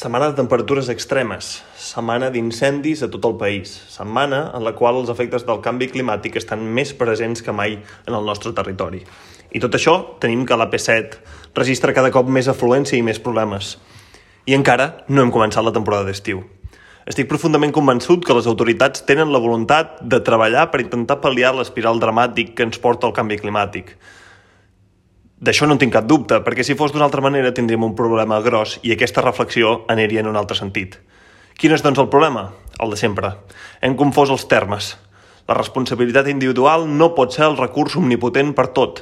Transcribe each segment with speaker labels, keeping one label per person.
Speaker 1: Setmana de temperatures extremes, setmana d'incendis a tot el país, setmana en la qual els efectes del canvi climàtic estan més presents que mai en el nostre territori. I tot això tenim que l'AP7 registra cada cop més afluència i més problemes. I encara no hem començat la temporada d'estiu. Estic profundament convençut que les autoritats tenen la voluntat de treballar per intentar pal·liar l'espiral dramàtic que ens porta el canvi climàtic. D'això no en tinc cap dubte, perquè si fos d'una altra manera tindríem un problema gros i aquesta reflexió aniria en un altre sentit. Quin és, doncs, el problema? El de sempre. Hem confós els termes. La responsabilitat individual no pot ser el recurs omnipotent per tot.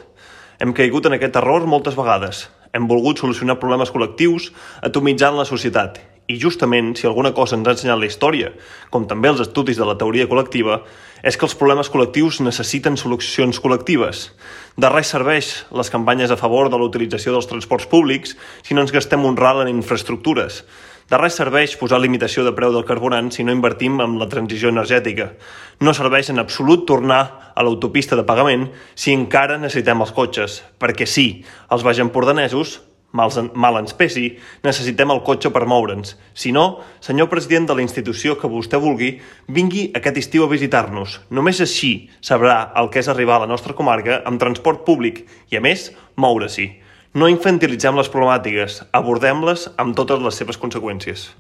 Speaker 1: Hem caigut en aquest error moltes vegades. Hem volgut solucionar problemes col·lectius atomitzant la societat. I justament, si alguna cosa ens ha ensenyat la història, com també els estudis de la teoria col·lectiva, és que els problemes col·lectius necessiten solucions col·lectives. De res serveix les campanyes a favor de la utilització dels transports públics si no ens gastem un ral en infraestructures. De res serveix posar limitació de preu del carburant si no invertim en la transició energètica. No serveix en absolut tornar a l'autopista de pagament si encara necessitem els cotxes, perquè sí, els baixempordanesos, mal ens pesi, necessitem el cotxe per moure'ns. Si no, senyor president de la institució que vostè vulgui, vingui aquest estiu a visitar-nos. Només així sabrà el que és arribar a la nostra comarca amb transport públic i, a més, moure-s'hi. No infantilitzem les problemàtiques, abordem-les amb totes les seves conseqüències.